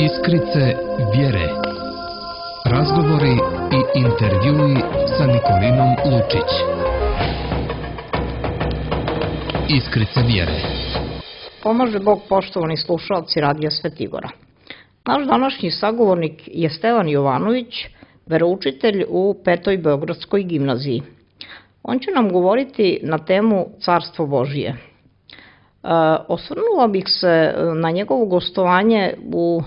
Iskrice vjere. Razgovori i intervjui sa Nikolinom Lučić. Iskrice vjere. Pomaže Bog, poštovani slušalci Radija Svetigora. Naš današnji sagovornik je Stevan Jovanović, veroučitelj u Petoj Beogradskoj gimnaziji. On će nam govoriti na temu Carstvo Božije. Osvrnula bih se na njegovo gostovanje u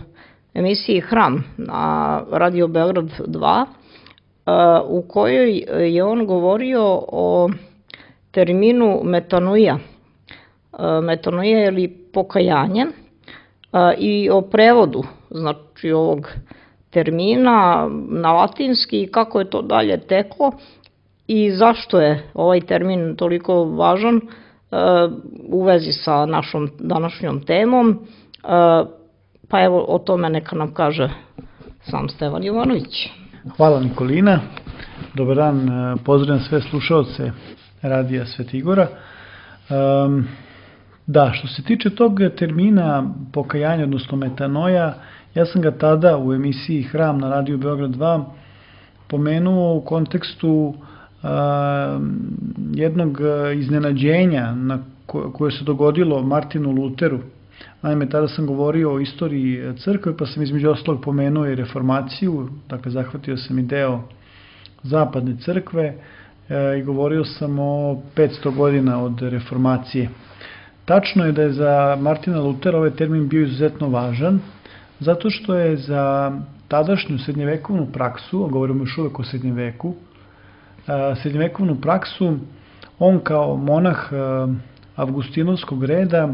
emisiji Hram na Radio Beograd 2, u kojoj je on govorio o terminu metanoia. Metanoia ili pokajanje i o prevodu, znači ovog termina na latinski i kako je to dalje teklo i zašto je ovaj termin toliko važan u vezi sa našom današnjom temom. Pa evo, o tome neka nam kaže sam Stevan Jovanović. Hvala Nikolina, dobar dan, pozdravljam sve slušaoce Radija Svetigora. Da, što se tiče tog termina pokajanja, odnosno metanoia, ja sam ga tada u emisiji Hram na Radio Beograd 2 pomenuo u kontekstu jednog iznenađenja koje se dogodilo Martinu Luteru. Naime, tada sam govorio o istoriji crkve, pa sam između ostalog pomenuo i reformaciju, dakle zahvatio sam i deo zapadne crkve i govorio sam o 500 godina od reformacije. Tačno je da je za Martina Lutera ovaj termin bio izuzetno važan, zato što je za tadašnju srednjevekovnu praksu, a govorimo još uvek o srednjem veku, srednjevekovnu praksu, on kao monah avgustinovskog reda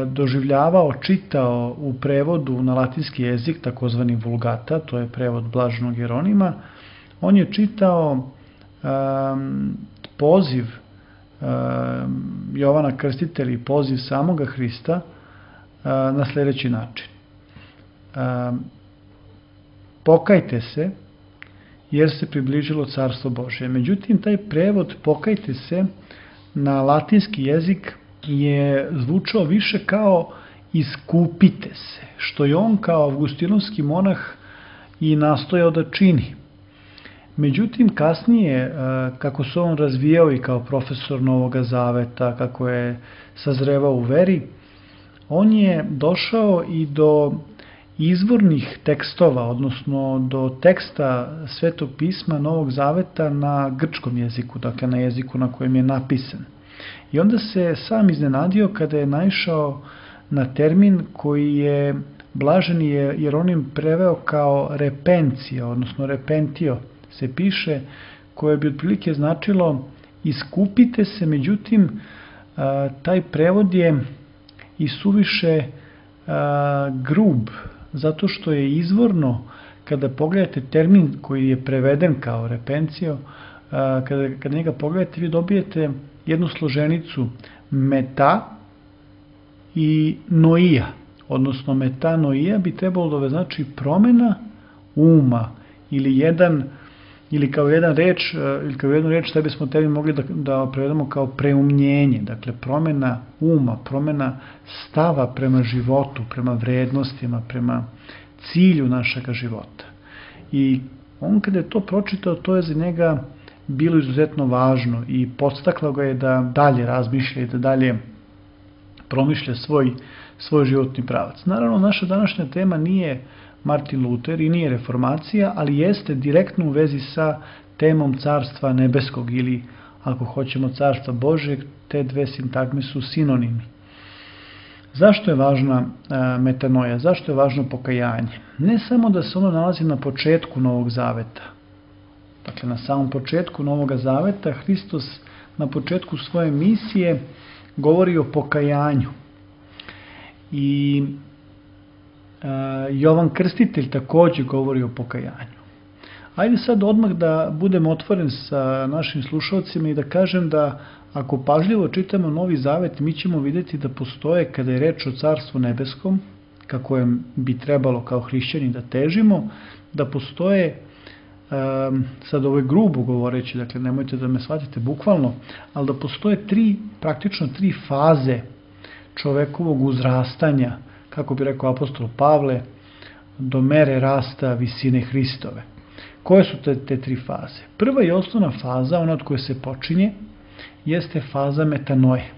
doživljavao, čitao u prevodu na latinski jezik, takozvani vulgata, to je prevod Blaženog Jeronima. On je čitao poziv Jovana Krstitelja i poziv samoga Hrista na sljedeći način. Pokajte se, jer se približilo Carstvo Božje. Međutim, taj prevod pokajte se na latinski jezik je zvučao više kao iskupite se, što je on kao avgustinovski monah i nastojao da čini. Međutim, kasnije, kako se on razvijao i kao profesor Novoga Zaveta, kako je sazrevao u veri, on je došao i do izvornih tekstova, odnosno do teksta Svetog pisma Novog Zaveta na grčkom jeziku, dakle na jeziku na kojem je napisan. I onda se sam iznenadio kada je naišao na termin koji je Blaženi Jeronim preveo kao repencija, odnosno repentio se piše, koje bi otprilike značilo iskupite se, međutim taj prevod je i suviše grub, zato što je izvorno, kada pogledate termin koji je preveden kao repencio, kada njega pogledate, vi dobijete jednu složenicu meta i noia, odnosno metanoia bi trebalo da znači promena uma ili kao jednu reč da bismo termin mogli da prevedemo kao preumnjenje, dakle promena uma, promena stava prema životu, prema vrednostima, prema cilju našega života. I on kada je to pročitao, to je za njega bilo izuzetno važno i podstaklo ga je da dalje razmišlja i da dalje promišlja svoj životni pravac. Naravno, naša današnja tema nije Martin Luter i nije reformacija, ali jeste direktno u vezi sa temom Carstva nebeskog ili, ako hoćemo, Carstva Božjeg. Te dve sintagme su sinonimi. Zašto je važna metanoia? Zašto je važno pokajanje? Ne samo da se ono nalazi na početku Novog Zaveta. Dakle, na samom početku Novog Zaveta Hristos na početku svoje misije govori o pokajanju. I Jovan Krstitelj također govori o pokajanju. Ajde sad odmah da budem otvoren sa našim slušalcima i da kažem da ako pažljivo čitamo Novi Zavet, mi ćemo vidjeti da postoje, kada je reč o Carstvu nebeskom, kako bi trebalo kao hrišćani da težimo, da postoje, sad ovo je grubo govoreći, dakle nemojte da me shvatite bukvalno, ali da postoje praktično tri faze čovekovog uzrastanja kako bi rekao apostol Pavle, do mere rasta visine Hristove. Koje su te tri faze? Prva i osnovna faza, ona od koje se počinje, jeste faza metanoje.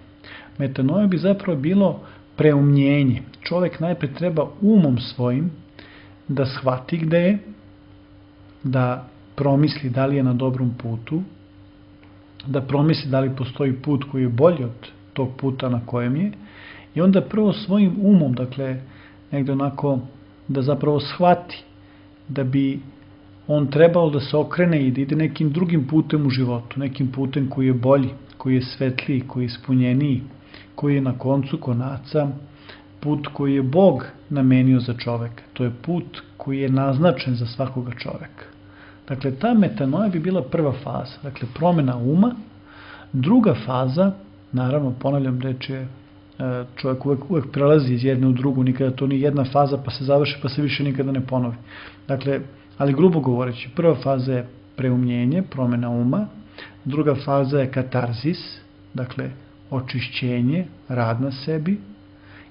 Metanoje bi zapravo bilo preumnjenje. Čovjek najpre treba umom svojim da shvati gde je, da promisli da li je na dobrom putu, da promisli da li postoji put koji je bolji od tog puta na kojem je, i onda prvo svojim umom, dakle, negde onako da zapravo shvati da bi on trebao da se okrene i da ide nekim drugim putem u životu, nekim putem koji je bolji, koji je svetliji, koji je ispunjeniji, koji je na koncu konaca put koji je Bog namenio za čoveka. To je put koji je naznačen za svakoga čoveka. Dakle, ta metanoja bi bila prva faza, dakle, promjena uma. Druga faza, naravno, ponavljam, reč je, čovjek uvek prelazi iz jedne u drugu, nikada to nije jedna faza pa se završi pa se više nikada ne ponovi. Dakle, ali grubo govoreći, prva faza je preumnjenje, promjena uma, druga faza je katarzis, dakle, očišćenje, rad na sebi,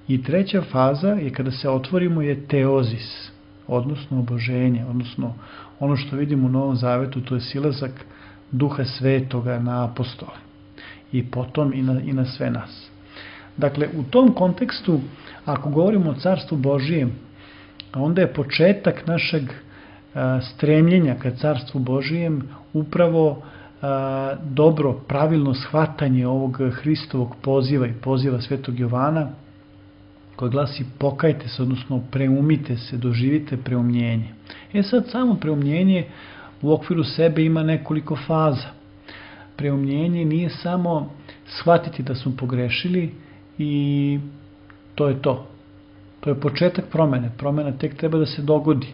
i treća faza je kada se otvorimo je teozis, odnosno oboženje, odnosno ono što vidimo u Novom Zavetu, to je silazak Duha Svetoga na apostole i potom i na sve nas. Dakle, u tom kontekstu, ako govorimo o Carstvu Božijem, onda je početak našeg stremljenja ka Carstvu Božijem upravo dobro, pravilno shvatanje ovog Hristovog poziva i poziva Svetog Jovana, koji glasi pokajte se, odnosno preumite se, doživite preumljenje. Sad samo preumljenje u okviru sebe ima nekoliko faza. Preumljenje nije samo shvatiti da smo pogrešili i to je to. To je početak promene. Promena tek treba da se dogodi.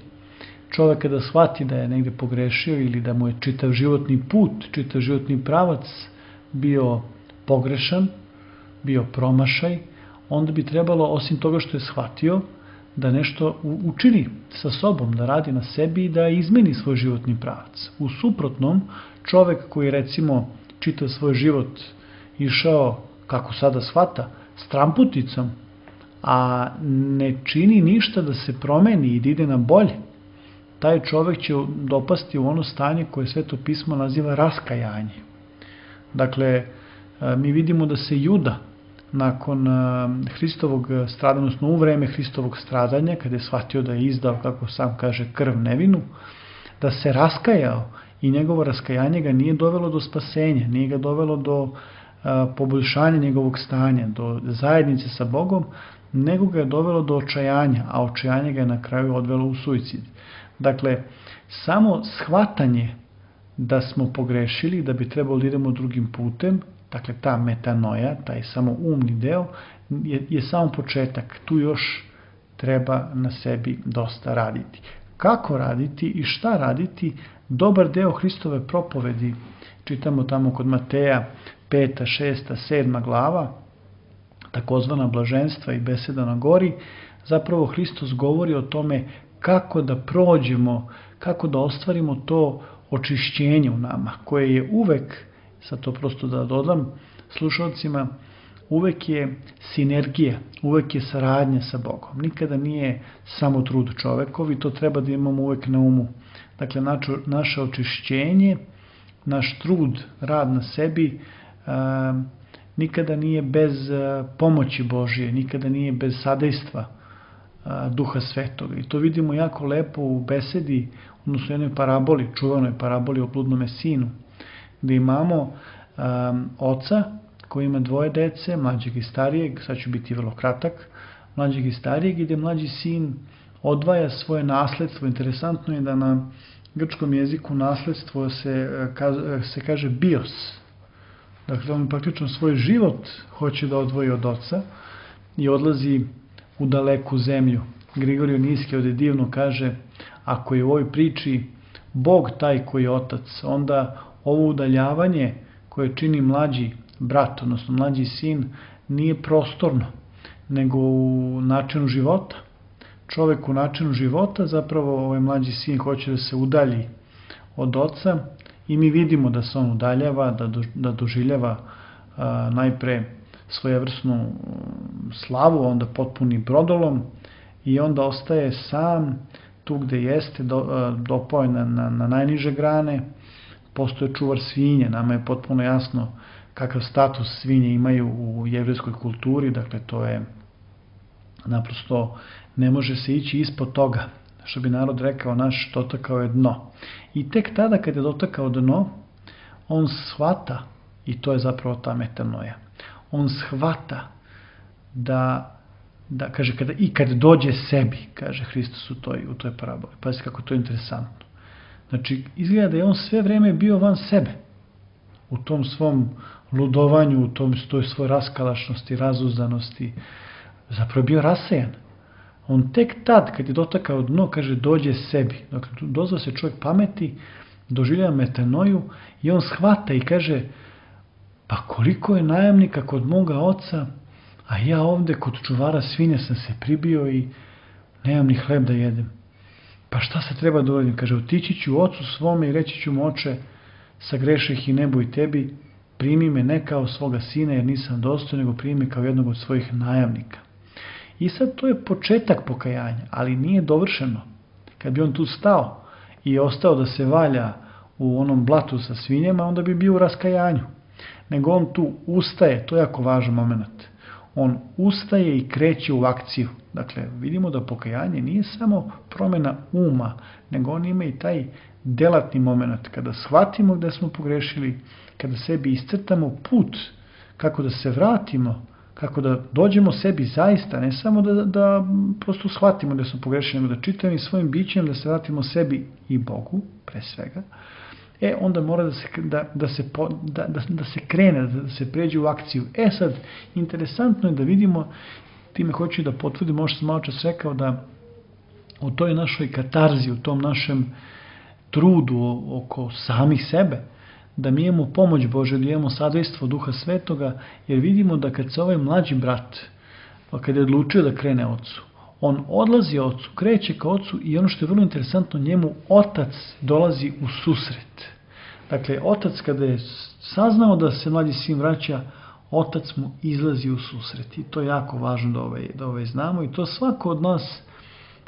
Čovjek kada shvati da je negde pogrešio ili da mu je čitav životni put, čitav životni pravac bio pogrešan, bio promašaj, onda bi trebalo, osim toga što je shvatio, da nešto učini sa sobom, da radi na sebi i da izmeni svoj životni pravac. U suprotnom, čovjek koji recimo čitav svoj život išao, kako sada shvata, stramputicom, a ne čini ništa da se promeni i da ide na bolje, taj čovjek će dopasti u ono stanje koje Sveto pismo naziva raskajanje. Dakle, mi vidimo da se Juda nakon Hristovog stradanja, odnosno u vreme Hristovog stradanja, kada je shvatio da je izdao, kako sam kaže, krv nevinu, da se raskajao i njegovo raskajanje ga nije dovelo do spasenja, nije ga dovelo do poboljšanja njegovog stanja, do zajednice sa Bogom, nego ga je dovelo do očajanja, a očajanje ga je na kraju odvelo u suicid. Dakle, samo shvatanje da smo pogrešili, da bi trebalo da idemo drugim putem, dakle ta metanoja, taj samo umni deo, je samo početak. Tu još treba na sebi dosta raditi. Kako raditi i šta raditi? Dobar deo Hristove propovedi, čitamo tamo kod Mateja 5., 6., 7. glava, takozvana blaženstva i beseda na gori, zapravo Hristos govori o tome kako da prođemo, kako da ostvarimo to očišćenje u nama, koje je uvek, sad to prosto da dodam slušalcima, uvek je sinergija, uvek je saradnja sa Bogom. Nikada nije samo trud čovekov i to treba da imamo uvek na umu. Dakle, naše očišćenje, naš trud, rad na sebi, nikada nije bez pomoći Božije, nikada nije bez sadejstva Duha Svetoga. I to vidimo jako lepo u besedi, odnosno jednoj paraboli, čuvanoj paraboli o bludnome sinu, gde imamo oca koji ima dvoje dece, mlađeg i starijeg, sad ću biti vrlo kratak, mlađeg i starijeg, gde mlađi sin odvaja svoje nasledstvo. Interesantno je da na grčkom jeziku nasledstvo se kaže bios. Dakle, on praktično svoj život hoće da odvoji od oca i odlazi u daleku zemlju. Grigorije Nijski ovdje divno kaže, ako je u ovoj priči Bog taj koji je otac, onda ovo udaljavanje koje čini mlađi brat, odnosno mlađi sin, nije prostorno, nego u načinu života. Čovek u načinu života, zapravo ovaj mlađi sin hoće da se udalji od oca i mi vidimo da se on udaljava, da doživljava najpre svojevrsnu slavu, onda potpuni brodolom i onda ostaje sam tu gde jeste, dopao je na najniže grane, postoje čuvar svinje, nama je potpuno jasno kakav status svinje imaju u jevrejskoj kulturi, dakle to je naprosto, ne može se ići ispod toga, što bi narod rekao, naš dotakao je dno. I tek tada kad je dotakao dno, on shvata, i to je zapravo ta metanoja, on shvata da kaže, kad dođe sebi, kaže Hristos u toj paraboli. Pazite kako to je interesantno. Znači, izgleda da je on sve vreme bio van sebe, u tom svom ludovanju, u toj svoj raskalašnosti, razuzdanosti, zapravo bio rasejan. On tek tad, kad je dotakao dno, kaže, dođe sebi. Dakle, dozva se čovjek pameti, doživljava metanoju i on shvata i kaže, pa koliko je najamnika kod moga oca, a ja ovde kod čuvara svinja sam se pribio i nemam ni hleb da jedem. Pa šta se treba da uradim? Kaže, otići ću ocu svome i reći ću mu, oče, sagreših i nebo i tebi, primi me ne kao svoga sina jer nisam dostojan, nego primi me kao jednog od svojih najamnika. I sad to je početak pokajanja, ali nije dovršeno. Kad bi on tu stao i ostao da se valja u onom blatu sa svinjama, onda bi bio u raskajanju. Nego on tu ustaje, to je jako važan moment. On ustaje i kreće u akciju. Dakle, vidimo da pokajanje nije samo promjena uma, nego on ima i taj delatni moment. Kada shvatimo gde smo pogrešili, kada sebi iscrtamo put, kako da se vratimo, kako da dođemo sebi zaista, ne samo da prosto shvatimo da smo pogrešili, nego da čitamo i svojim bićem, da se vratimo sebi i Bogu, pre svega, onda mora da se krene, da se pređe u akciju. Sad, interesantno je da vidimo, time hoću da potvrdim, možda sam malo čas rekao da u toj našoj katarzi, u tom našem trudu oko samih sebe, da mi imamo pomoć Bože, da imamo sadejstvo Duha Svetoga, jer vidimo da kad se ovaj mlađi brat, pa kad je odlučio da krene ocu, on odlazi ocu, kreće ka ocu i ono što je vrlo interesantno, njemu otac dolazi u susret. Dakle, otac kada je saznao da se mlađi sin vraća, otac mu izlazi u susret. I to je jako važno da znamo. I to svako od nas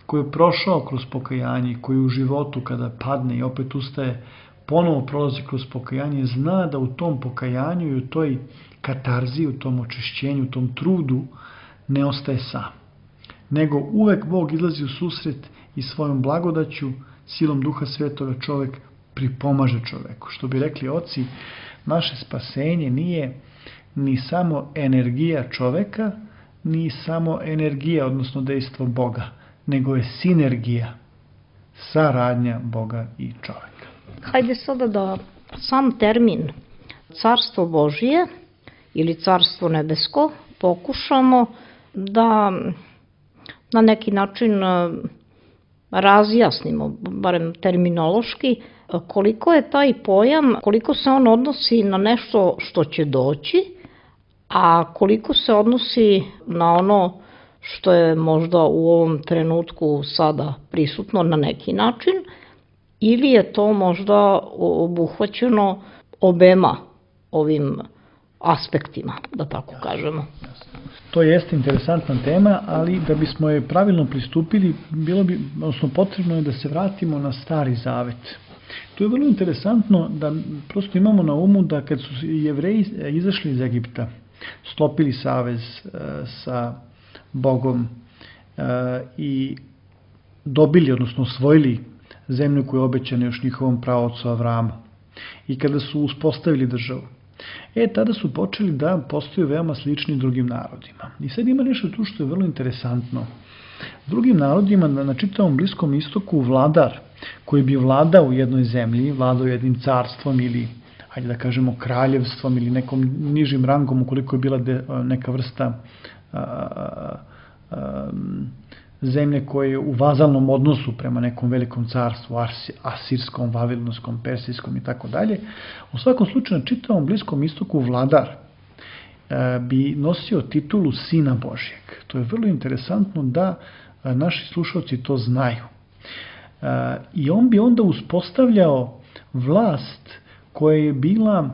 koji je prošao kroz pokajanje, koji u životu kada padne i opet ustaje, ponovo prolazi kroz pokajanje, zna da u tom pokajanju i u toj katarzi, u tom očišćenju, u tom trudu ne ostaje sam. Nego uvek Bog izlazi u susret i svojom blagodaću, silom Duha Svetoga čovek pripomaže čoveku. Što bi rekli oci, naše spasenje nije ni samo energija čoveka, ni samo energija, odnosno dejstvo Boga, nego je sinergija, saradnja Boga i čoveka. Hajde sada da sam termin Carstvo Božije ili Carstvo nebesko pokušamo da na neki način razjasnimo, barem terminološki, koliko je taj pojam, koliko se on odnosi na nešto što će doći, a koliko se odnosi na ono što je možda u ovom trenutku sada prisutno na neki način, ili je to možda obuhvaćeno obema ovim aspektima, da tako kažemo. To jeste interesantna tema, ali da bismo je pravilno pristupili, potrebno je da se vratimo na Stari Zavet. To je vrlo interesantno da prosto imamo na umu da kad su Jevreji izašli iz Egipta, sklopili savez sa Bogom i dobili, odnosno osvojili zemlju koju je obećana još njihovom praocu Avramu. I kada su uspostavili državu, tada su počeli da postaju veoma slični drugim narodima. I sad ima nešto tu što je vrlo interesantno. Drugim narodima na čitavom Bliskom istoku vladar koji bi vladao u jednoj zemlji, vladao jednim carstvom ili, hajde da kažemo, kraljevstvom ili nekom nižim rangom ukoliko je bila neka vrsta zemlje koje je u vazalnom odnosu prema nekom velikom carstvu, asirskom, vavilonskom, persijskom i tako dalje. U svakom slučaju na čitavom Bliskom istoku vladar bi nosio titulu Sina Božjeg. To je vrlo interesantno da naši slušalci to znaju. I on bi onda uspostavljao vlast koja je bila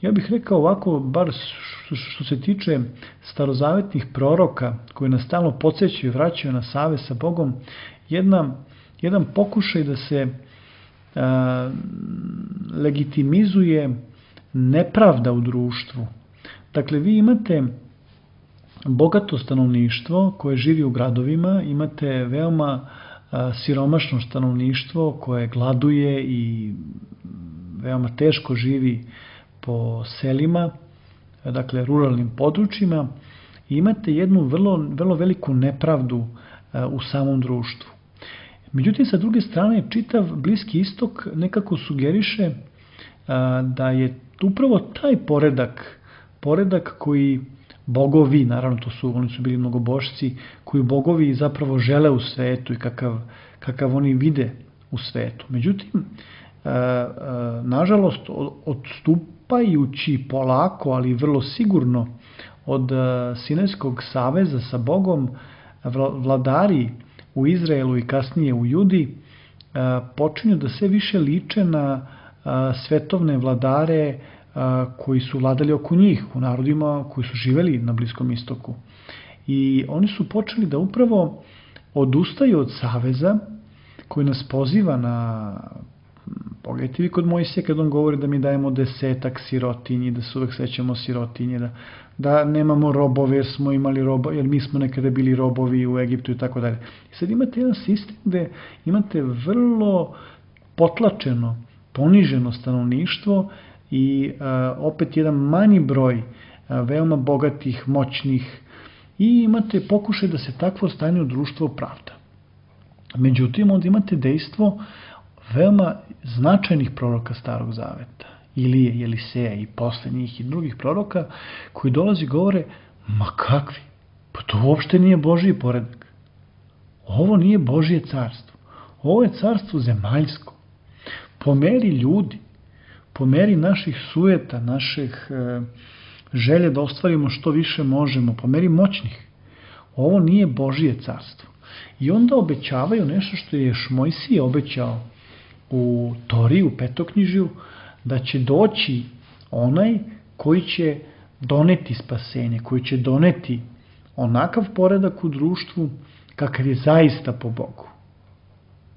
ja bih rekao ovako, bar što se tiče starozavetnih proroka koji nas stalno podsjećaju i vraćaju na savez sa Bogom, jedan pokušaj da se legitimizuje nepravda u društvu. Dakle, vi imate bogato stanovništvo koje živi u gradovima, imate veoma siromašno stanovništvo koje gladuje i veoma teško živi po selima, dakle ruralnim područjima, i imate jednu vrlo veliku nepravdu u samom društvu. Međutim, sa druge strane, čitav Bliski istok nekako sugeriše da je upravo taj poredak koji bogovi, naravno oni su bili mnogobošci, koji bogovi zapravo žele u svetu i kakav oni vide u svetu. Međutim, nažalost, odstupajući polako, ali vrlo sigurno od Sinajskog saveza sa Bogom, vladari u Izraelu i kasnije u Judi počinju da sve više liče na svetovne vladare koji su vladali oko njih, u narodima koji su živeli na Bliskom istoku. I oni su počeli da upravo odustaju od saveza koji nas poziva na... Pogledajte vi kod Mojsija kad on govori da mi dajemo 10 sirotinji, da se uvek sećamo sirotinje, da nemamo robove jer smo imali robove, jer mi smo nekada bili robovi u Egiptu i tako dalje. I sad imate jedan sistem gde imate vrlo potlačeno, poniženo stanovništvo i opet jedan manji broj veoma bogatih, moćnih, i imate pokušaj da se takvo stanje u društvu opravda. Međutim, onda imate dejstvo veoma značajnih proroka Starog zaveta, Ilije, Eliseja i posle njih i drugih proroka, koji dolazi i govore, ma kakvi, pa to uopšte nije Božji poredak. Ovo nije Božje carstvo. Ovo je carstvo zemaljsko. Po meri ljudi, po meri naših sujeta, naših želje da ostvarimo što više možemo, po meri moćnih. Ovo nije Božje carstvo. I onda obećavaju nešto što je još Mojsije obećao u Tori, u Petoknjižju, da će doći onaj koji će doneti spasenje, koji će doneti onakav poredak u društvu kakav je zaista po Bogu.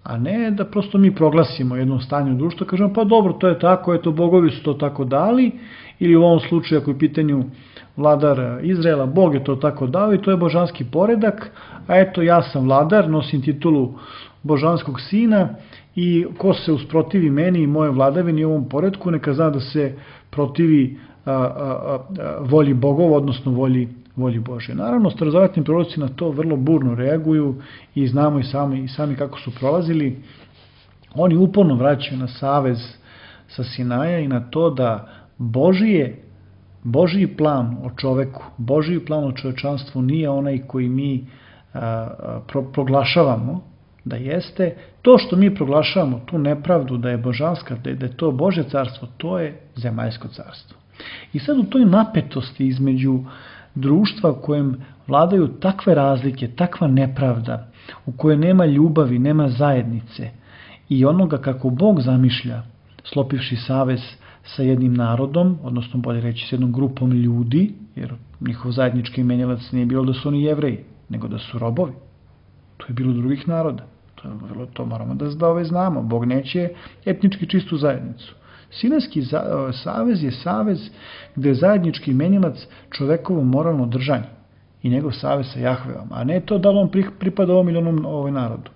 A ne da prosto mi proglasimo jedno stanje u društvu, kažemo pa dobro, to je tako, eto bogovi su to tako dali, ili u ovom slučaju ako je pitanju vladar Izraela, Bog je to tako dao i to je božanski poredak, a eto ja sam vladar, nosim titulu božanskog sina i ko se usprotivi meni i moje vladavini i ovom poredku, neka zna da se protivi volji bogova, odnosno volji Božje. Naravno, starozavetni proroci na to vrlo burno reaguju i znamo i sami kako su prolazili. Oni uporno vraćaju na savez sa Sinaja i na to da Božji plan o čoveku, Božji plan o čovečanstvu nije onaj koji mi proglašavamo da jeste. To što mi proglašavamo, tu nepravdu da je božanska, da je to Božje carstvo, to je zemaljsko carstvo. I sad u toj napetosti između društva u kojem vladaju takve razlike, takva nepravda, u kojoj nema ljubavi, nema zajednice i onoga kako Bog zamišlja, slopivši savez sa jednim narodom, odnosno bolje reći s jednom grupom ljudi, jer njihov zajednički imenilac nije bilo da su oni Jevreji, nego da su robovi. To je bilo drugih naroda. To moramo da znamo. Bog neće etnički čistu zajednicu. Sinajski savez je savez gde je zajednički imenilac čovekovo moralno držanje i njegov savez sa Jahveom, a ne to da on pripada ovom ili onom narodu.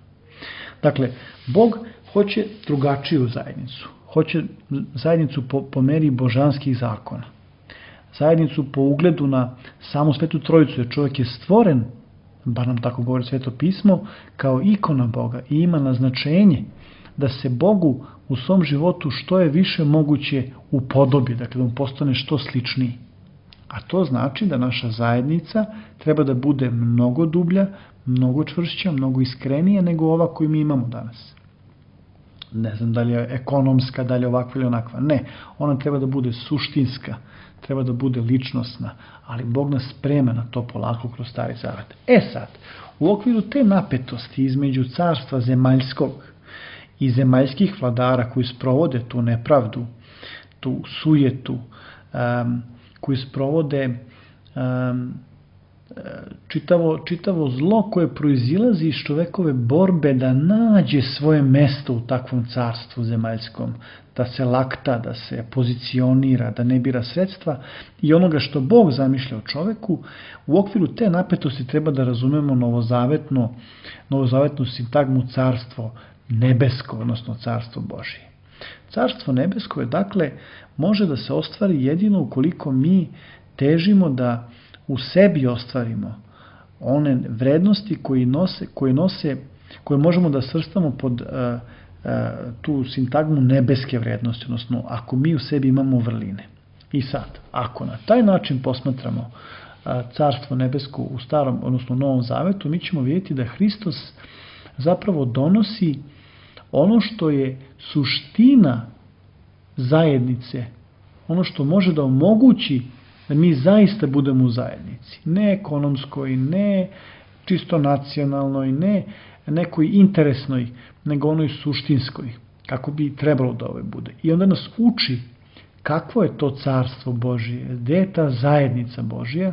Dakle, Bog hoće drugačiju zajednicu. Hoće zajednicu po meri božanskih zakona. Zajednicu po ugledu na samu Svetu Trojicu, jer čovjek je stvoren, bar nam tako govori Sveto pismo, kao ikona Boga i ima naznačenje da se Bogu u svom životu što je više moguće upodobi, dakle da mu postane što sličniji. A to znači da naša zajednica treba da bude mnogo dublja, mnogo čvršća, mnogo iskrenija nego ova koju mi imamo danas. Ne znam da li je ekonomska, da li je ovakva ili onakva. Ne, ona treba da bude suštinska, treba da bude ličnosna, ali Bog nas sprema na to polako kroz Stari zavet. Sad, u okviru te napetosti između carstva zemaljskog i zemaljskih vladara koji sprovode tu nepravdu, tu sujetu, koji sprovode čitavo zlo koje proizilazi iz čovekove borbe da nađe svoje mesto u takvom carstvu zemaljskom, da se lakta, da se pozicionira, da ne bira sredstva i onoga što Bog zamišlja o čoveku. U okviru te napetosti treba da razumemo novozavetnu sintagmu carstvo nebesko, odnosno carstvo Božije. Carstvo nebesko je, dakle, može da se ostvari jedino ukoliko mi težimo da u sebi ostvarimo one vrednosti koje možemo da svrstamo pod tu sintagmu nebeske vrednosti, odnosno ako mi u sebi imamo vrline. I sad, ako na taj način posmatramo carstvo nebesko u starom, odnosno Novom Zavetu, mi ćemo vidjeti da Hristos zapravo donosi ono što je suština zajednice, ono što može da omogući da mi zaista budemo u zajednici. Ne ekonomskoj, ne čisto nacionalnoj, ne nekoj interesnoj, nego onoj suštinskoj, kako bi trebalo da ove bude. I onda nas uči kakvo je to carstvo Božije, gde je ta zajednica Božija,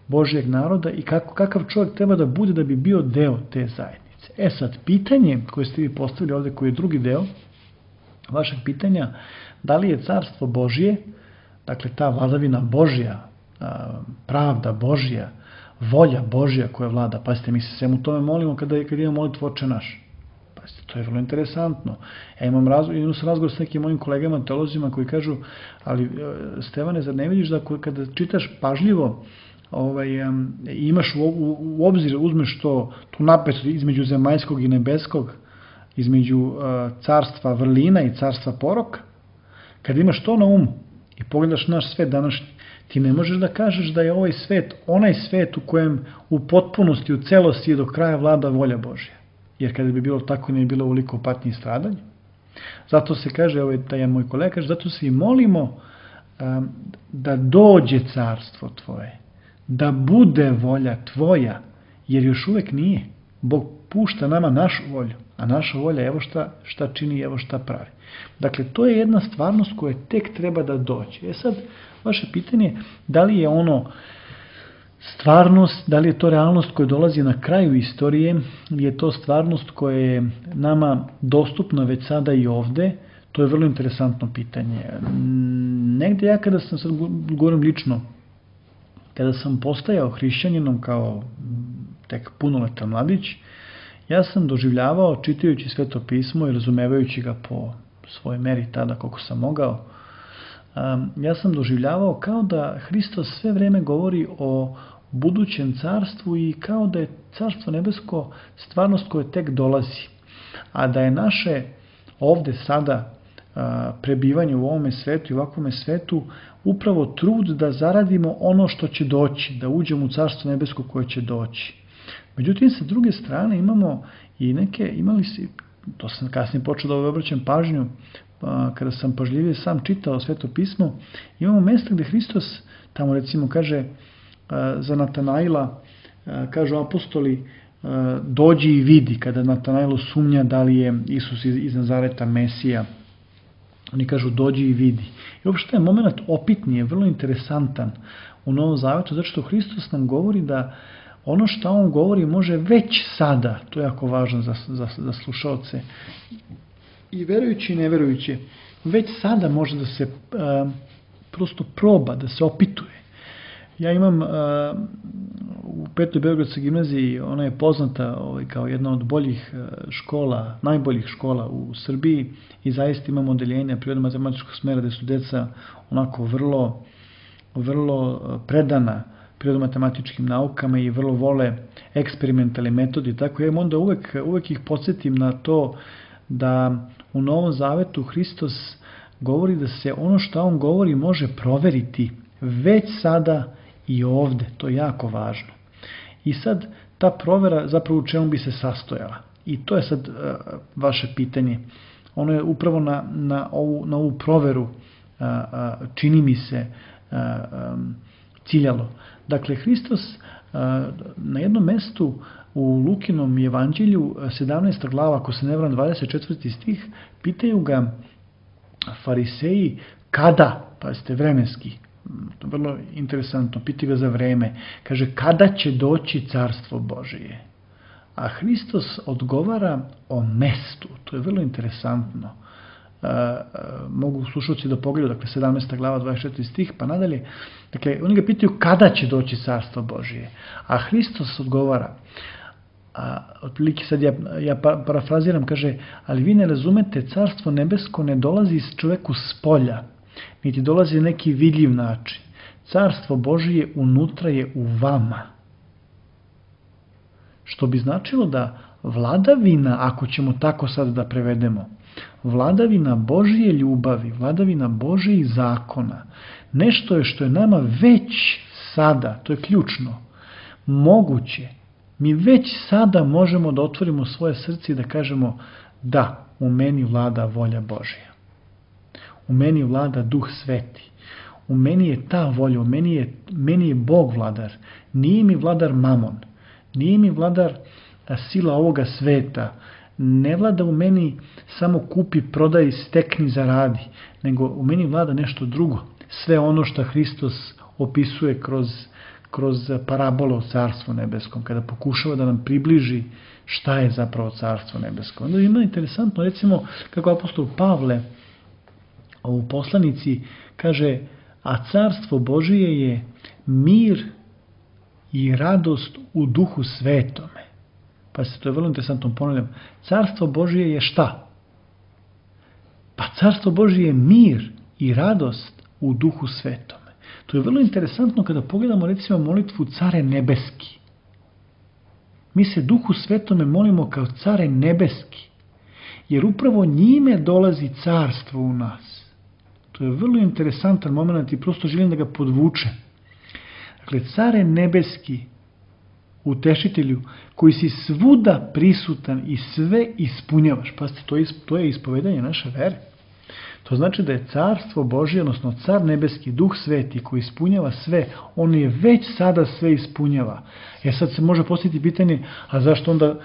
Božijeg naroda i kakav čovjek treba da bude da bi bio deo te zajednice. Sad, pitanje koje ste vi postavili ovde, koji je drugi deo vašeg pitanja, da li je carstvo Božije, dakle ta vladavina Božja, pravda Božja, volja Božja koja vlada. Pazite, mi se svemu tome molimo kada imamo molitvu Oče naš. Pazite, to je vrlo interesantno. Ja imam razgovor s nekim mojim kolegama, teolozima koji kažu, ali Stevane, zar ne vidiš da kada čitaš pažljivo, imaš u obzir, uzmeš tu napetost između zemaljskog i nebeskog, između carstva vrlina i carstva poroka, kad imaš to na umu i pogledaš naš svet današnji, ti ne možeš da kažeš da je ovaj svet onaj svet u kojem u potpunosti, u celosti i do kraja vlada volja Božja. Jer kada bi bilo tako, ne bi bilo ovoliko patnje i stradanja. Zato se kaže, taj moj kolega kaže, zato se i molimo da dođe carstvo tvoje, da bude volja tvoja, jer još uvek nije. Bog pušta nama našu volju, a naša volja evo šta čini, evo šta pravi. Dakle, to je jedna stvarnost koja tek treba da dođe. Sad, vaše pitanje je da li je ono stvarnost, da li je to realnost koja dolazi na kraju istorije, ili je to stvarnost koja je nama dostupna već sada i ovde, to je vrlo interesantno pitanje. Negde ja kada sam, sad govorim lično, kada sam postajao hrišćaninom kao tek punoletan mladić, ja sam doživljavao, čitajući Sveto pismo i razumevajući ga po svojoj meri tada koliko sam mogao, ja sam doživljavao kao da Hristos sve vreme govori o budućem carstvu i kao da je carstvo nebesko stvarnost koja tek dolazi, a da je naše ovde sada prebivanje u ovome svetu i u ovakvome svetu upravo trud da zaradimo ono što će doći, da uđemo u carstvo nebesko koje će doći. Međutim, sa druge strane imamo i to sam kasnije počeo da obraćam pažnju, kada sam pažljivije sam čitao Sveto pismo, imamo mesta gde Hristos tamo recimo kaže za Natanaila, kažu apostoli, dođi i vidi, kada Natanailo sumnja da li je Isus iz Nazareta Mesija, oni kažu dođi i vidi. I uopšte je moment opitnije, vrlo interesantan u Novom Zavetu, zato što Hristos nam govori da ono što on govori može već sada, to je jako važno za slušalce, i verujući i neverujući, već sada može da se prosto proba, da se opituje. Ja imam u 5. Beogradskoj gimnaziji, ona je poznata kao jedna od boljih škola, najboljih škola u Srbiji i zaista imamo odeljenje prirodno-matematičkog smera gde su deca onako vrlo predana prirodno-matematičkim naukama i vrlo vole eksperimentalne metode. Tako ja onda uvek ih podsjetim na to da u Novom Zavetu Hristos govori da se ono što on govori može proveriti već sada i ovde. To je jako važno. I sad ta provera zapravo u čemu bi se sastojala. I to je sad vaše pitanje. Ono je upravo na ovu proveru čini mi se ciljalo. Dakle, Hristos na jednom mestu u Lukinom evanđelju, 17. glava, ako se ne varam 24. stih, pitaju ga fariseji kada, pazite vremenski, to je vrlo interesantno, piti ga za vreme, kaže kada će doći carstvo Božije? A Hristos odgovara o mestu, to je vrlo interesantno. Mogu slušalci da pogledaju, dakle 17. glava 24. stih pa nadalje, dakle oni ga pitaju kada će doći carstvo Božije, a Hristos odgovara, otprilike sad ja parafraziram, kaže, ali vi ne razumete, carstvo nebesko ne dolazi iz čoveku s polja, niti dolazi na neki vidljiv način. Carstvo Božije unutra je u vama. Što bi značilo da vladavina, ako ćemo tako sad da prevedemo, vladavina Božije ljubavi, vladavina Božijih zakona, nešto je što je nama već sada, to je ključno, moguće. Mi već sada možemo da otvorimo svoje srce i da kažemo da, u meni vlada volja Božja. U meni vlada Duh Sveti. U meni je ta volja, meni je Bog vladar. Nije mi vladar mamon. Nije mi vladar sila ovoga sveta. Ne vlada u meni samo kupi, prodaj, stekni, zaradi. Nego u meni vlada nešto drugo. Sve ono što Hristos opisuje kroz parabole o Carstvu nebeskom, kada pokušava da nam približi šta je zapravo Carstvo nebesko. Onda ima interesantno, recimo, kako apostol Pavle u poslanici kaže, a Carstvo Božije je mir i radost u Duhu Svetome. Pa se to je vrlo interesantno, ponavljam. Carstvo Božije je šta? Pa Carstvo Božije je mir i radost u Duhu Svetome. To je vrlo interesantno kada pogledamo recimo molitvu Care nebeski. Mi se Duhu Svetome molimo kao Care nebeski, jer upravo njime dolazi carstvo u nas. To je vrlo interesantan moment i prosto želim da ga podvučem. Dakle, Care nebeski, utešitelju, koji si svuda prisutan i sve ispunjavaš. Pazite, to je ispovedanje naše vere. To znači da je carstvo Božje, odnosno car nebeski, Duh Sveti koji ispunjava sve, on je već sada sve ispunjava. Sad se može postaviti pitanje, a zašto onda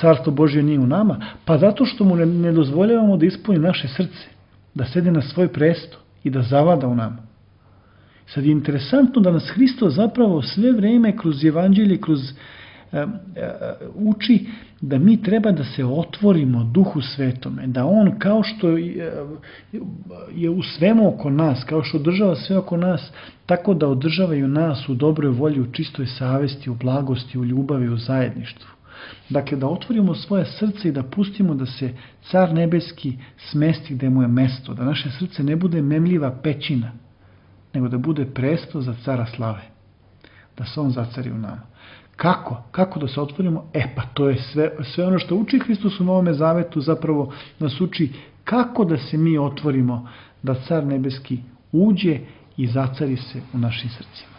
carstvo Božje nije u nama? Pa zato što mu ne dozvoljavamo da ispuni naše srce, da sede na svoj presto i da zavlada u nama. Sad je interesantno da nas Hristos zapravo sve vreme kroz evanđelje, kroz uči da mi treba da se otvorimo Duhu Svetome, da on kao što je u svemu oko nas, kao što održava sve oko nas, tako da održavaju nas u dobroj volji, u čistoj savesti, u blagosti, u ljubavi, u zajedništvu. Dakle, da otvorimo svoje srce i da pustimo da se Car nebeski smesti gde mu je mesto, da naše srce ne bude memljiva pećina, nego da bude presto za Cara slave, da se on zacari u nama. Kako? Kako da se otvorimo? Pa to je sve ono što uči Hristos u Novome Zavetu, zapravo nas uči kako da se mi otvorimo, da Car nebeski uđe i zacari se u našim srcima.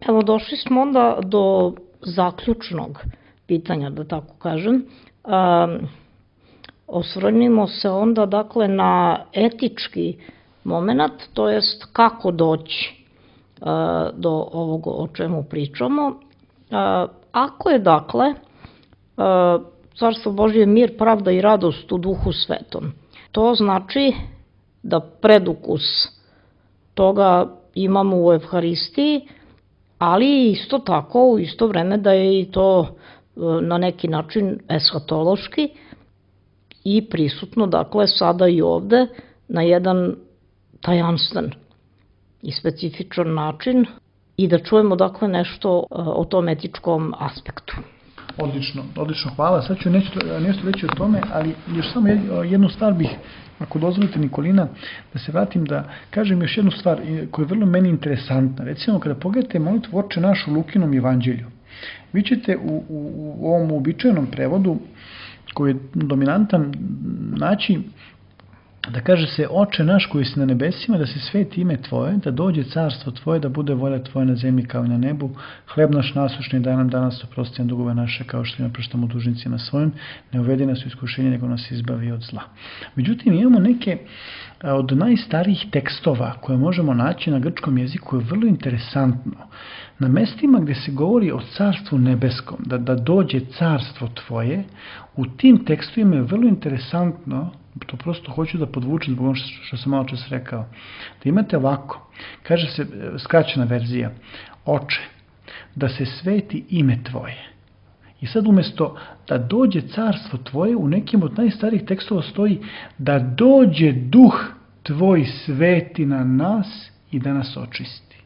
Evo, došli smo onda do zaključnog pitanja, da tako kažem. Osvrnimo se onda, dakle, na etički moment, to jest kako doći do ovog o čemu pričamo. Ako je, dakle, Carstvo Božje mir, pravda i radost u Duhu Svetom, to znači da predukus toga imamo u Evharistiji, ali isto tako u isto vreme da je i to na neki način eshatološki i prisutno, dakle, sada i ovde na jedan tajanstven i specifičan način i da čujemo, dakle, nešto o tom etičkom aspektu. Odlično, hvala. Sad ću nešto reći o tome, ali još samo jednu stvar bih, ako dozvolite, Nikolina, da se vratim da kažem još jednu stvar koja je vrlo meni interesantna. Recimo, kada pogledate molitvu Oče naš u Lukinom evanđelju, vi ćete u ovom uobičajenom prevodu, koji je dominantan, naći da kaže se Oče naš koji si na nebesima, da se sveti ime Tvoje, da dođe carstvo Tvoje, da bude volja Tvoja na zemlji kao i na nebu, hleb naš nasušni daj nam danas, oprosti nam dugove naše kao što im opraštamo dužnicima svojim, ne uvedi nas u iskušenje, nego nas izbavi od zla. Međutim, imamo neke od najstarijih tekstova koje možemo naći na grčkom jeziku, je vrlo interesantno. Na mestima gde se govori o carstvu nebeskom, da dođe carstvo Tvoje, u tim tekstovima je vrlo interesantno to prosto hoću da podvučem zbog ono što sam malo čas rekao. Da imate ovako, kaže se, skraćena verzija, Oče, da se sveti ime Tvoje. I sad umjesto da dođe carstvo Tvoje, u nekim od najstarijih tekstova stoji da dođe duh Tvoj sveti na nas i da nas očisti.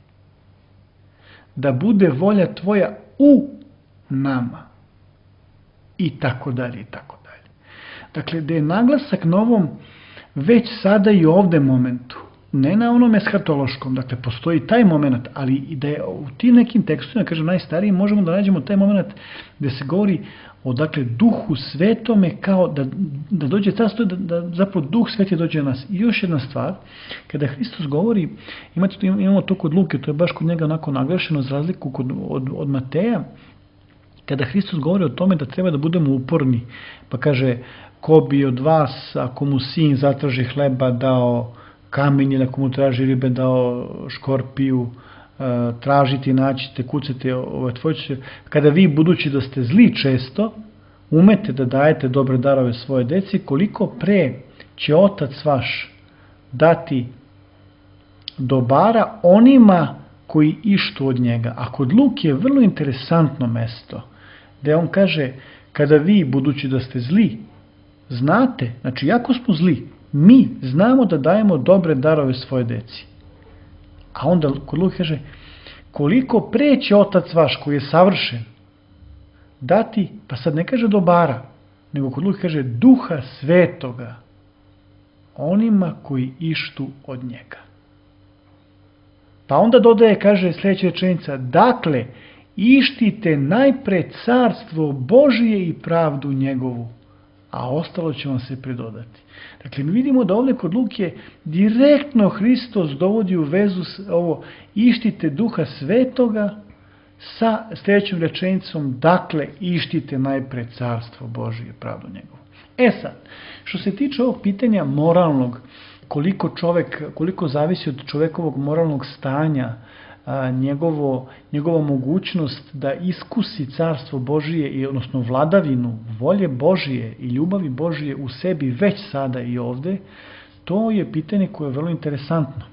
Da bude volja Tvoja u nama. I tako dalje, i tako dalje. Dakle, da je naglasak na ovom već sada i ovde momentu, ne na onom eshatološkom, dakle, postoji taj moment, ali i da je u tim nekim tekstovima, kažem, najstarijim, možemo da nađemo taj moment gde se govori o, dakle, duhu svetome, kao da dođe carstvo, da zapravo duh sveti dođe na nas. I još jedna stvar, kada Hristos govori, imamo to kod Luke, to je baš kod njega onako naglašeno, za razliku od Mateja, kada Hristos govori o tome da treba da budemo uporni, pa kaže, ko bi od vas, ako mu sin zatraži hleba, dao kamen, ili ako mu traži ribe, dao škorpiju, tražiti, naćite, kucate, otvorite. Kada vi, budući da ste zli često, umete da dajete dobre darove svoje deci, koliko pre će Otac vaš dati dobara onima koji ištu od njega. A kod Luke je vrlo interesantno mesto, gde on kaže, kada vi, budući da ste zli, znate, znači jako smo zli, mi znamo da dajemo dobre darove svoje deci. A onda kod Luke kaže, koliko pre će Otac vaš koji je savršen dati, pa sad ne kaže dobara, nego kod Luke kaže duha svetoga onima koji ištu od njega. Pa onda dodaje, kaže sljedeća rečenica, dakle, ištite najpre carstvo Božije i pravdu njegovu, a ostalo će vam se pridodati. Dakle, mi vidimo da ovdje kod Luke direktno Hristos dovodi u vezu ovo, ištite duha svetoga sa sljedećom rečenicom, dakle, ištite najpre carstvo Božije i pravdu njegovu. Sad, što se tiče ovog pitanja moralnog, koliko zavisi od čovekovog moralnog stanja, njegova mogućnost da iskusi carstvo Božije, odnosno vladavinu, volje Božije i ljubavi Božije u sebi već sada i ovde, to je pitanje koje je vrlo interesantno.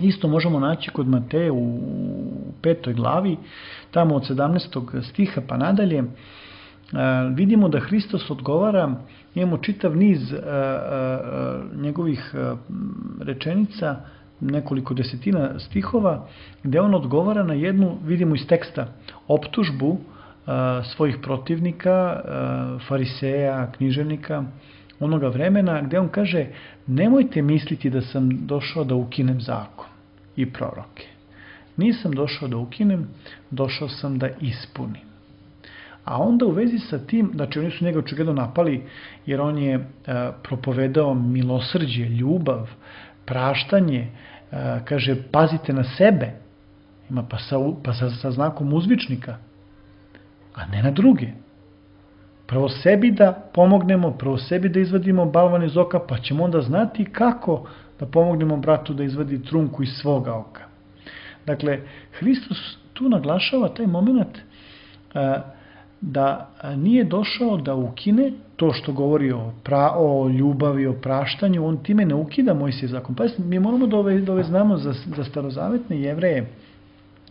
Isto možemo naći kod Mateja u 5. glavi, tamo od 17. stiha pa nadalje, vidimo da Hristos odgovara, imamo čitav niz njegovih rečenica, nekoliko desetina stihova, gde on odgovara na jednu, vidimo iz teksta, optužbu svojih protivnika, fariseja, književnika, onoga vremena, gde on kaže, nemojte misliti da sam došao da ukinem zakon i proroke. Nisam došao da ukinem, došao sam da ispunim. A onda u vezi sa tim, znači oni su njega očigledno napali, jer on je propovedao milosrđe, ljubav, praštanje, kaže, pazite na sebe, ima pa sa znakom uzvičnika, a ne na druge. Prvo sebi da pomognemo, prvo sebi da izvadimo balvan iz oka, pa ćemo onda znati kako da pomognemo bratu da izvadi trunku iz svoga oka. Dakle, Hristos tu naglašava taj moment da nije došao da ukine to što govori o ljubavi, o praštanju, on time ne ukida Mojsijev zakon. Pa mi moramo da ove znamo za starozavetne Jevreje,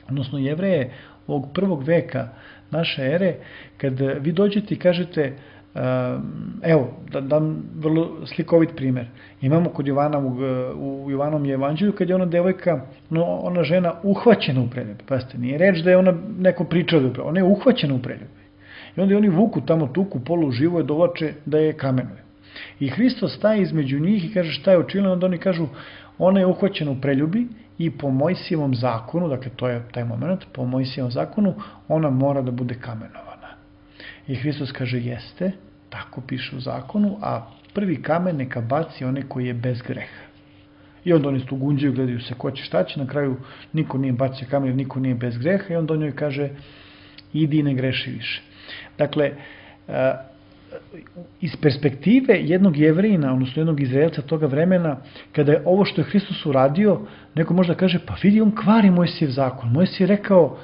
odnosno Jevreje ovog prvog veka naše ere, kad vi dođete i kažete, evo, da dam vrlo slikovit primjer. Imamo kod Jovana, u Jovanom evanđelju, kad je ona devojka, ona žena uhvaćena u preljubi. Pazite, nije reč da je ona neko pričala, ona je uhvaćena u preljubi. I onda oni vuku tamo tuku, polu živo je dovlače da je kamenuje. I Hristos staje između njih i kaže šta je učinila, onda oni kažu ona je uhvaćena u preljubi i po Mojsijevom zakonu, dakle to je taj moment, po Mojsijevom zakonu ona mora da bude kamenovana. I Hristos kaže jeste, tako piše u zakonu, a prvi kamen neka baci onaj koji je bez greha. I onda oni tu gunđaju, gledaju se ko će šta će, na kraju niko nije bacio kamen jer niko nije bez greha i onda on njoj kaže idi i ne greši više. Dakle, iz perspektive jednog Jevrejina, odnosno jednog Izraelca toga vremena, kada je ovo što je Hristos uradio, neko možda kaže, pa vidi, on kvari Mojsijev zakon. Mojsije je rekao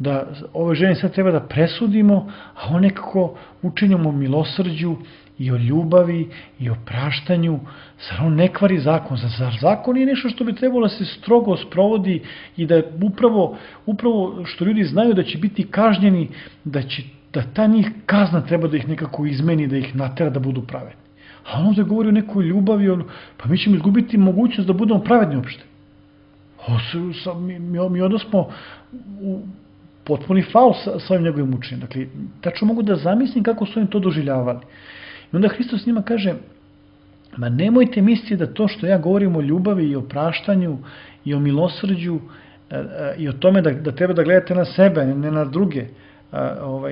da ove žene sad treba da presudimo, a on nekako učinimo o milosrđu i o ljubavi i o praštanju. Zar on ne kvari zakon? Zar zakon je nešto što bi trebalo da se strogo sprovodi i da upravo što ljudi znaju da će biti kažnjeni, da ta njih kazna treba da ih nekako izmeni, da ih natera da budu pravedni. A on ovdje govori o nekoj ljubavi, pa mi ćemo izgubiti mogućnost da budemo pravedni uopšte. Mi onda smo u potpuni faul sa ovim njegovim učenjem. Dakle, tačno mogu da zamislim kako su oni to doživljavali. I onda Hristos njima kaže, ma nemojte misliti da to što ja govorim o ljubavi i o praštanju i o milosrđu i o tome da treba da gledate na sebe, ne na druge,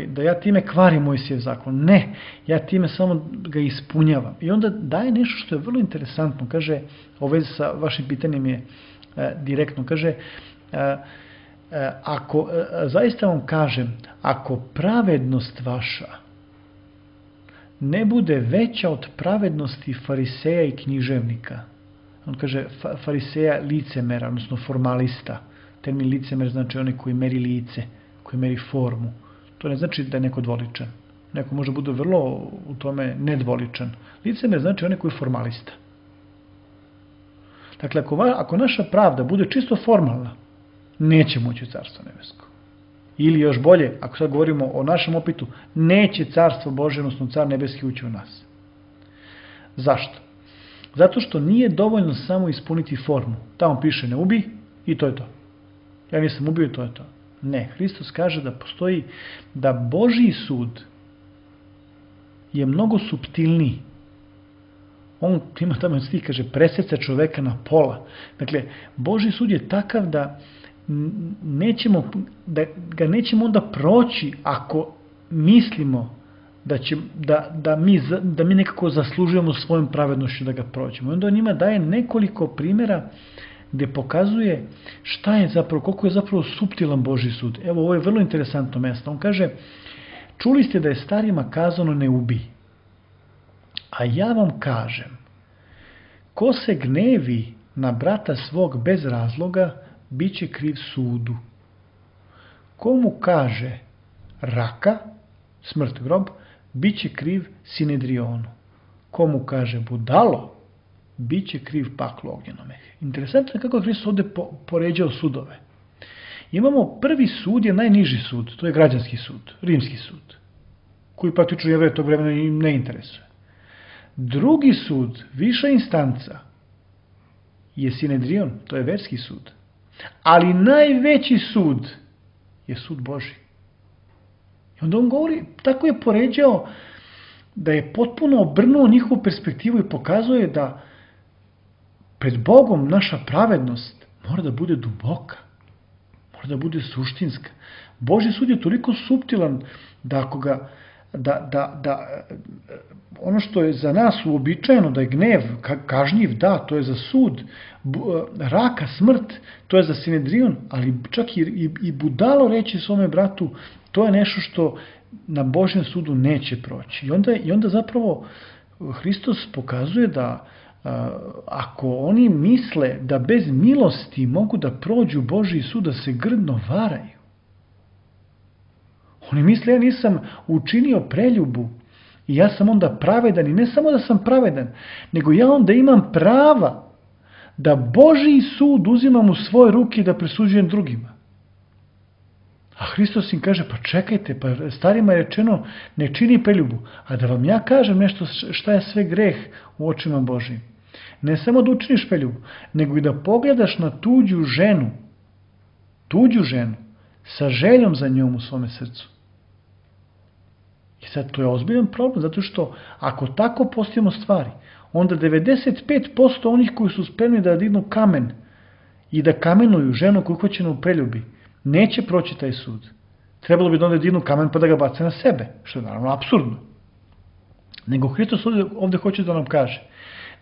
da ja time kvarim Mojsijev zakon. Ne, ja time samo ga ispunjavam. I onda daje nešto što je vrlo interesantno. Kaže, u vezi sa vašim pitanjem je direktno, kaže, zaista vam kažem, ako pravednost vaša ne bude veća od pravednosti fariseja i književnika, on kaže fariseja licemera, odnosno formalista. Termin licemer znači onaj koji meri lice, koji meri formu. To ne znači da je neko dvoličan. Neko može bude vrlo u tome nedvoličan. Licemer znači onaj koji je formalista. Dakle, ako naša pravda bude čisto formalna, neće moći u Carstvo nebesko. Ili još bolje, ako sad govorimo o našem opitu, neće Carstvo Božje, odnosno Car nebeski ući u nas. Zašto? Zato što nije dovoljno samo ispuniti formu. Tamo piše ne ubi i to je to. Ja nisam ubio i to je to. Ne, Hristos kaže da postoji, da Božji sud je mnogo suptilniji. On ima tamo stih, kaže, preseca čoveka na pola. Dakle, Božji sud je takav da ga nećemo onda proći ako mislimo da mi nekako zaslužujemo svojom pravednošću da ga prođemo. Onda on njima daje nekoliko primjera gdje pokazuje šta je zapravo, koliko je zapravo suptilan Božji sud. Evo, ovo je vrlo interesantno mjesto. On kaže, čuli ste da je starima kazano ne ubij. A ja vam kažem, ko se gnevi na brata svog bez razloga, bit će kriv sudu. Ko mu kaže raka, smrt grob, bit će kriv Sinedrionu. Ko mu kaže budalo, bit će kriv paklu ognjenome. Interesantno je kako je Hristos ovdje poređao sudove. Imamo prvi sud je najniži sud, to je građanski sud, rimski sud, koji praktično Jevreje tog vremena i ne interesuje. Drugi sud, viša instanca, je Sinedrion, to je verski sud. Ali najveći sud je sud Božji. I onda on govori, tako je poređao da je potpuno obrnuo njihovu perspektivu i pokazuje da pred Bogom naša pravednost mora da bude duboka, mora da bude suštinska. Božji sud je toliko suptilan da ako ga ono što je za nas uobičajeno da je gnev kažnjiv, da, to je za sud, raka, smrt, to je za Sinedrion, ali čak i budalo reći svome bratu, to je nešto što na Božjem sudu neće proći. I onda zapravo Hristos pokazuje da ako oni misle da bez milosti mogu da prođu Božji sud, da se grdno varaju. Oni misle, ja nisam učinio preljubu i ja sam onda pravedan. I ne samo da sam pravedan, nego ja onda imam prava da Božji sud uzimam u svoje ruke i da presuđujem drugima. A Hristos im kaže, pa čekajte, pa starima je rečeno ne čini preljubu. A da vam ja kažem nešto šta je sve greh u očima Božjim. Ne samo da učiniš preljubu, nego i da pogledaš na tuđu ženu, sa željom za njom u svome srcu. I sad to je ozbiljan problem, zato što ako tako postavimo stvari, onda 95% onih koji su spremni da dignu kamen i da kamenuju ženu koju hoćenu u preljubi, neće proći taj sud. Trebalo bi da onda dignu kamen pa da ga bace na sebe, što je naravno apsurdno. Nego Hristos ovdje hoće da nam kaže,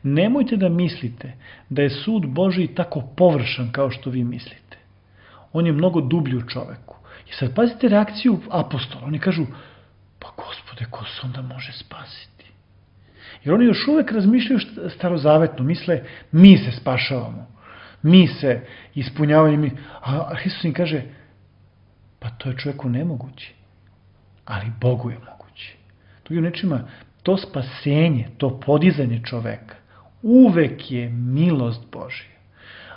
nemojte da mislite da je sud Božji tako površan kao što vi mislite. On je mnogo dublji u čoveku. I sad pazite reakciju apostola. Oni kažu, pa Gospode, ko se onda može spasiti? Jer oni još uvek razmišljaju starozavetno. Misle, mi se spašavamo. Mi se ispunjavamo. A Hristos im kaže, Pa to je čovjeku nemoguće, ali Bogu je moguće. Drugim rečima, to spasenje, to podizanje čoveka, uvek je milost Božja.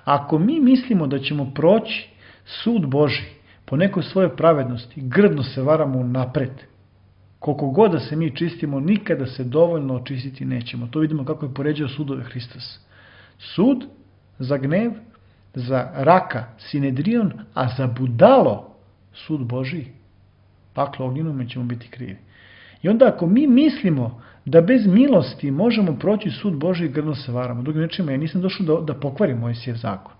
Ako mi mislimo da ćemo proći sud Božji po nekoj svojoj pravednosti, grdno se varamo napred. Koliko god da se mi čistimo, nikada se dovoljno očistiti nećemo. To vidimo kako je poređao sudove Hristos. Sud za gnev, za raka Sinedrion, a za budalo sud Božji. Paklo ognjenome ćemo biti krivi. I onda ako mi mislimo da bez milosti možemo proći sud Božji, grdno se varamo. Drugim rečima, ja nisam došao da pokvarim Mojsijev zakon,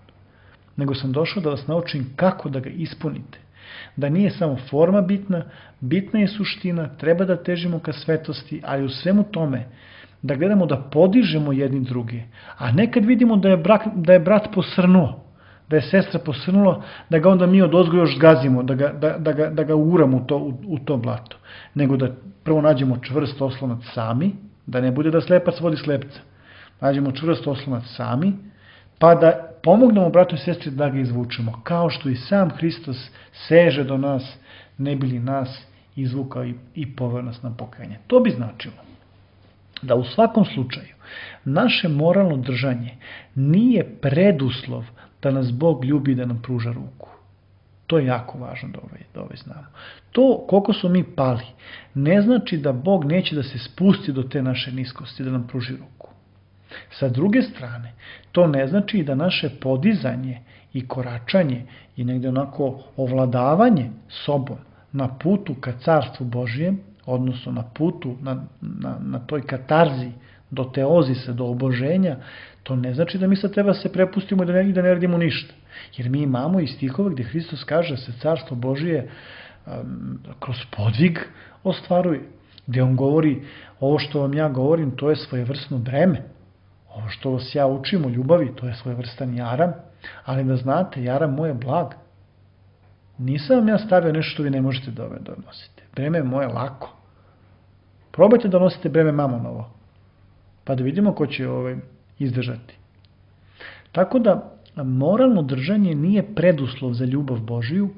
nego sam došao da vas naučim kako da ga ispunite. Da nije samo forma bitna, bitna je suština, treba da težimo ka svetosti, ali u svemu tome da gledamo da podižemo jedni drugi. A nekad vidimo da je brat posrnuo, da je sestra posrnula, da ga onda mi odozgo još zgazimo, da ga uramo u to blato. Nego da prvo nađemo čvrst oslonac sami, da ne bude da slepac vodi slepca. Nađemo čvrst oslonac sami, pa da pomognemo bratu i sestri da ga izvučemo. Kao što i sam Hristos seže do nas, ne bi li nas izvukao i poveo nas na pokajanje. To bi značilo da u svakom slučaju naše moralno držanje nije preduslov da nas Bog ljubi, da nam pruža ruku. To je jako važno da ovaj znamo. To koliko smo mi pali ne znači da Bog neće da se spusti do te naše niskosti, da nam pruži ruku. Sa druge strane, to ne znači da naše podizanje i koračanje i negde onako ovladavanje sobom na putu ka carstvu Božijem, odnosno na putu, na toj katarzi do teozisa, do oboženja, to ne znači da mi sad treba se prepustimo i da ne radimo ništa. Jer mi imamo i stihove gdje Hristos kaže da se carstvo Božije kroz podvig ostvaruje. Gdje on govori, ovo što vam ja govorim, to je svojevrsno breme. Ovo što vas ja učim o ljubavi, to je svojevrstan jaram, ali da znate, jaram moj je blag. Nisam vam ja stavio nešto što vi ne možete da nosite. Breme je moje lako. Probajte da nosite breme mamonovo, pa da vidimo ko će izdržati. Tako da, moralno držanje nije preduslov za ljubav Božiju,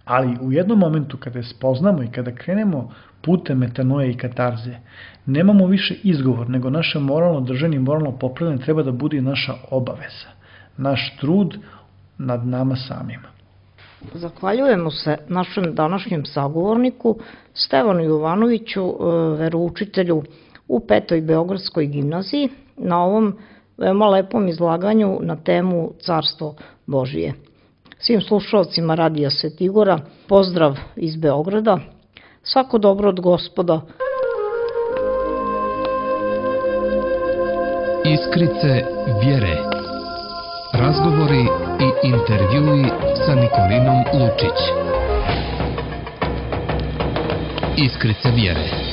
ali u jednom momentu kada je spoznamo i kada krenemo putem metanoje i katarze, nemamo više izgovor, nego naše moralno držanje i moralno popravljanje treba da bude naša obaveza, naš trud nad nama samima. Zahvaljujemo se našem današnjem sagovorniku Stevanu Jovanoviću, veroučitelju u 5. Beogradskoj gimnaziji, na ovom veoma lepom izlaganju na temu Carstvo Božije. Svim slušalcima Radija Svetigora, pozdrav iz Beograda, svako dobro od Gospoda. Iskrice vjere. Razgovori i intervjui sa Nikolinom Lučić. Iskrice vjere.